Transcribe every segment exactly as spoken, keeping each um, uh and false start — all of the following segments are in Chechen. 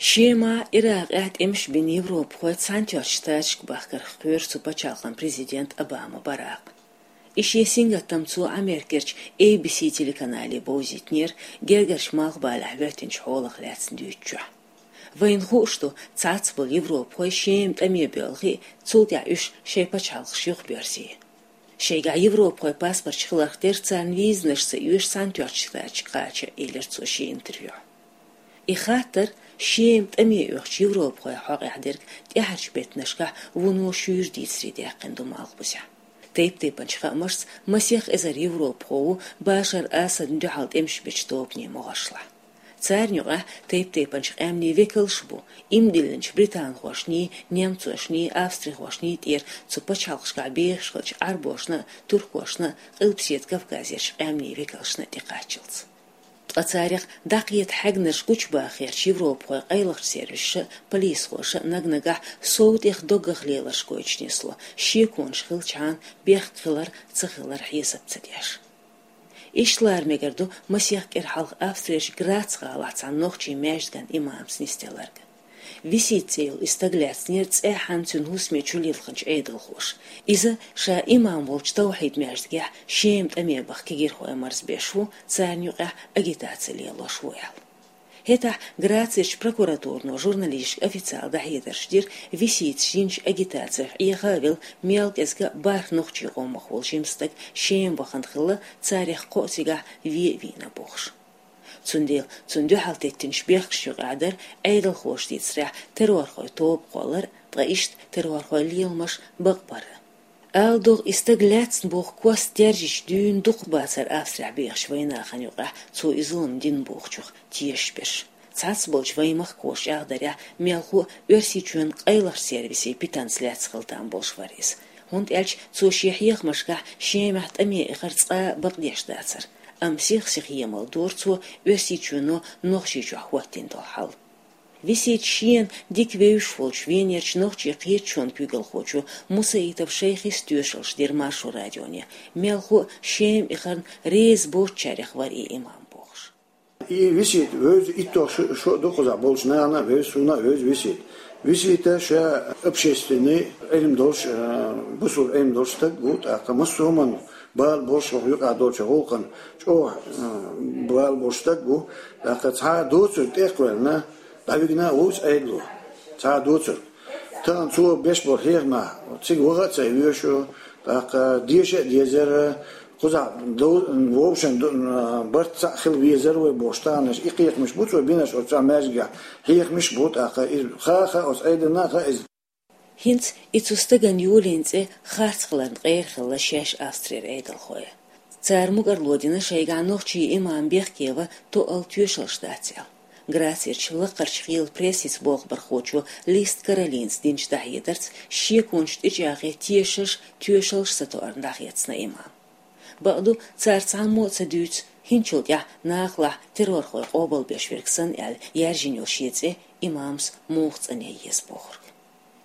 Шемахь, Иракъехь тӀемаш бина европахой Цхьаьнатоьхначу Штаташка бахкарх кхоьру цу пачхьалкхан президент Обама Баракъ. И шен сингаттам цо Америкерчу A B C телеканале бовзийтинера гергарчу Малхбалехь хӀоьттинчу хьолах лаьцна дуьйцучохь. Вайна хууш ду, цхьацца болу европахой Шема тӀаме боьлхий, цул тӀаьхьа уьш шайн пачхьалкхаш юхабоьрзий. Шайгахь европахой паспорташ хиларх тера царна визанаш ца оьшу Цхьаьнатоьхначу Штаташка кхача, элира цо шен интервьюхь. И хаттар Шема тӀаме оьхучу европахойн хьокъехь дерг тӀаьхьарчу беттанашкахь вуно шуьйра дийцаре даьккхина ду Малхбузехь. Тайп-тайпанчу хаамашца, масех эзар европахо ву Башар Асадна дуьхьал тӀемаш бечу тобанийн могӀаршлахь. Царна юкъахь тайп-тайпанчу къаьмнийн векалш а бу, ийман диллинчу британхошний, немцошний, австрихошний тӀера цу пачхьалкхашкахь бехаш хиллачу Ӏарбошна а, туркошна а, Къилбаседа Кавказерчу къаьмнийн векалшна а тӀекхаччалц. Ткъа царах дӀакхета хьегнарш гучубахарчу европахойн къайлахчу сервисаша а, полисхоша а наг-нагахь сов тӀех доггах леларш гойтуш нисло, шеконаш хилчхьана бехк хилар, ца хилар хьесап ца деш. Иштта лара мегар ду масех кӀира хьалха Австрерчу Грац гӀалахь цхьана нохчийн маьждиган имамца нисделларг. Висит цӀе йолу и стаг лаьцнера цӀеххьана цуьнан хӀусаме чулилхинчу Ӏедалхоша. Иза ша имам волчу Тавхьид-маьждигехь Шема тӀаме баха кегийрхой марзбеш ву, царна юкъахь агитаци лелош ву аьлла. ХӀетахь Грацерчу прокуратуро журналисташка официалан дӀахьедарш дира, Виситас йинчу агитацех Ӏеха а велла, мел кӀезиг а бархӀ нохчийн къомах волу жима стаг Шема вахана хилла, царах кхоъ цигахь вен а вийна бохуш. Цундела цунна дуьхьал теттинчу бехкашна юкъахь дара, Ӏедалхоша дийцарехь, террорхойн тоба кхоллар, ткъа иштта террорхойн леламаш бакъбар. Ала догӀу, и стаг лаьцна боху кост даьржича дуьйна дукхахбацара Австрехь бехачу вайнахана юкъахь, цо и зулам дина бохучух тешаш берш. Цхьацца болчу вайн махкахоша чӀагӀдарехь, мелхо а Оьрсийчоьнан къайлахчу сервисийн питанца лаьцна хила там болуш вара иза. ХӀунда аьлча цо шен хьехамашкахь Шемахь тӀаме эхар цкъа а бакъдеш дацара. Амма сих-сиха емал дора цо Оьрсийчоьно Нохчийчохь хӀоттийна долу хьал. Виситас шена дика вевзаш волчу Венерчу нохчийн кхеташонан куьйгалхочо Мусаитов Шайхис тоьшаллаш дира Маршо радионе, мелхо а Шема эхарна реза боцучарех вара и имам бохуш. И Висит вевза иттех шо, шо а ду кхузахь болчу нахана а вевза, суна а вевза Висит. Висита ша общественный, Ӏилма долуш, э, бусулба Ӏилма долуш стаг ву, тӀаккха массо а хӀуманна бала болуш, хӀокху юкъахь долчу гӀуллакхана чӀогӀа, э, бала болуш стаг ву, тӀаккха цхьа а доцург тӀе а кхоьллина, дӀавигна а ву иза Ӏедало. Цхьа а доцург. Тахана цо беш болу хьехамехь цига ваха а ца везаш, тӀаккха деша а дезара, кхузахь дов-, вовшашна ду-, барт цхьаъ хила везара вай бохуш, таханаш и хьехамаш бу цо бинарш оцу цхьа маьждигехь, хьехамаш а бу, тӀаккха иза ха а хаьа, оцу Ӏедална а хаьа иза. ХӀинца и цу стагана йолийна цӀе харц хиларна къера хилла шаьш Австрера Ӏедалхой. Цара мукӀарло дина шайгахь нохчийн имам бехке ван тоъал тоьшаллаш дац аьлла. Грацерчу лакхарчу хелан прессица болх бархочо Лист Каролинас динчу дӀахьедарца, шеконаш тӀечӀагӀъе тешаш, тоьшаллаш сатоьарна дӀахецна имам. Бакъду, цара цхьаммо а ца дуьйцу, хӀинцачул тӀаьхьа нахалахь террорхой къобалбеш верг санна аьлла, яьржина йолу шен цӀе имамас муха цӀанъян еза бохург.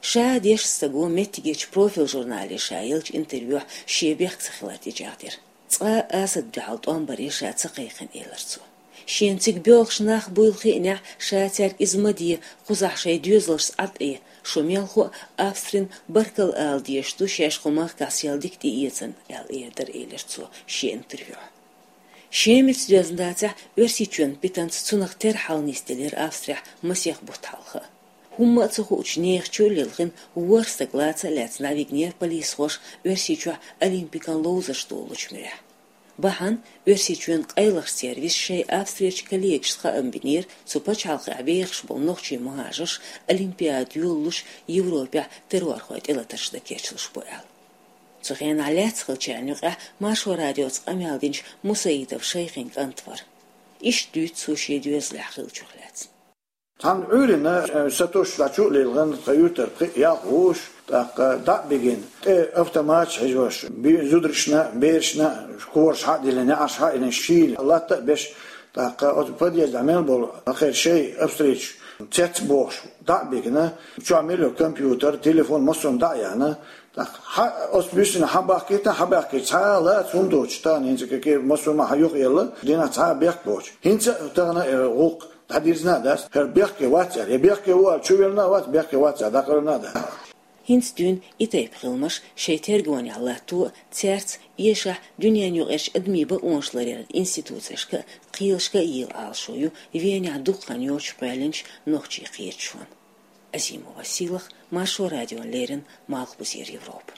Ша дешначу стага меттигерчу Профиль журнале ша еллачу интервьюхь шен бехк ца хилар тӀечӀагӀдира. Цкъа а Асада дуьхьал тӀом баре ша ца кхайкхина, элира цо. Шена цига боьлхуш нах буйла хиънехь, ша цаьрга иза ма де, кхузахь шайн доьзалшца Ӏад Ӏе, шу мелхо а Австрина баркалла ала дезаш ду, шаьш кху махкахь сел дика тӀеэцна, аьлла эр дара, элира цо шен интервьюхь. Шемица доьзна дацахь, Оьрсийчоьнан питанца цунах терра хьал нисделира Австрехь масех бутт хьалха. ХӀумма а ца хуучу нехан чу а лилхина, ворхӀ стаг лаца а лаьцна дӀавигнера полисхоша Оьрсийчохь Олимпикан ловзарш долалучу муьрехь. Бахьана Оьрсийчоьнан къайлахчу сервисо шайн Австрерчу коллегашна хаам бинера, цу пачхьалкхехь бехаш болу нохчийн мухӀажарш Олимпиада йолалуш Европехь террорхойн тӀелатарш дан кечлуш бу аьлла. Цу хенахь лаьцна хиллачарна юкъахь Маршо радиоца къамел динчу Мусаитов Шайхин кӀант вара. Иштта дуьйцу цо шен доьзалехь хиллачух лаьцна. Цхьана Ӏуьйранна, э, сатосуш дӀа чу а лилхина, тхан юьртара пхиъ-ялх вуьйш, тӀаккха дӀа а бигина, тӀе автоматаш хьежош, би-, зударшна, берашна, кораш хьа а диллина, неӀарш хьа а йиллина, шийла латта а беш, тӀаккха оцу подъездехь мел болу, хӀокхеран шайн австрийцаш цецбохуш, дӀа а бигина, чохь мел йолу компьютер, телефон, массо а дӀа а яьхна, тӀаккха хьа, оцу буьйсанна хьа бахкийта, хьа баьхкича, цхьа а лаца хӀума доцуш, тахана хӀинца кхин массо а хьа юхаелла, дийнахь цхьа а бехк боцуш. ХӀинца а тахана, э, гӀуллакх ДӀадирзина дац, хӀара бехке вац аьлла, я бехке ву аьлла, чу верна вац, бехке вац аьлла, дӀакъарна дац. ХӀинца дуьйна и тайпа хиламаш шайн тергонехь латто а, цаьрца эшахь дуьненаюкъарчу адамийн бакъонаш ларъяран институцешка а, кхелашка а йийла Ӏалашо ю Венехь дукха хан йоццуш кхоьллинчу нохчийн кхеташонан. Азимова Сийлаха, Маршо радиона леррина, Малхбузера Европа.